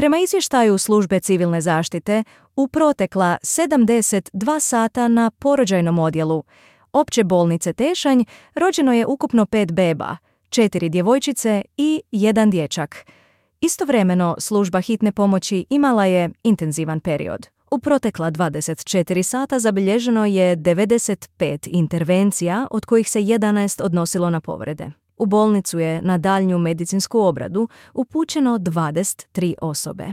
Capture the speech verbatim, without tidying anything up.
Prema izvještaju službe civilne zaštite, u protekla sedamdeset dva sata na porođajnom odjelu Opće bolnice Tešanj rođeno je ukupno pet beba, četiri djevojčice i jedan dječak. Istovremeno, služba hitne pomoći imala je intenzivan period. U protekla dvadeset četiri sata zabilježeno je devedeset pet intervencija, od kojih se jedanaest odnosilo na povrede. U bolnicu je na daljnju medicinsku obradu upućeno dvadeset tri osobe.